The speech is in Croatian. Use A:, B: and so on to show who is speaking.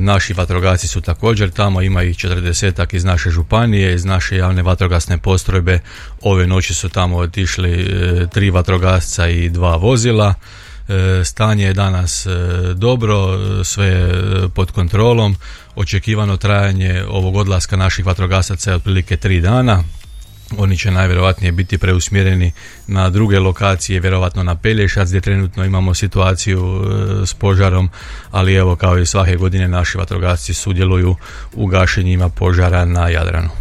A: Naši vatrogasci su također tamo, ima ih 40-ak iz naše županije, iz naše javne vatrogasne postrojbe. Ove noći su tamo otišli 3 vatrogasca i 2 vozila. Stanje je danas dobro, sve je pod kontrolom. Očekivano trajanje ovog odlaska naših vatrogasaca je otprilike 3 dana. Oni će najvjerojatnije biti preusmjereni na druge lokacije, vjerojatno na Pelješac gdje trenutno imamo situaciju s požarom, ali evo kao i svake godine naši vatrogasci sudjeluju u gašenjima požara na Jadranu.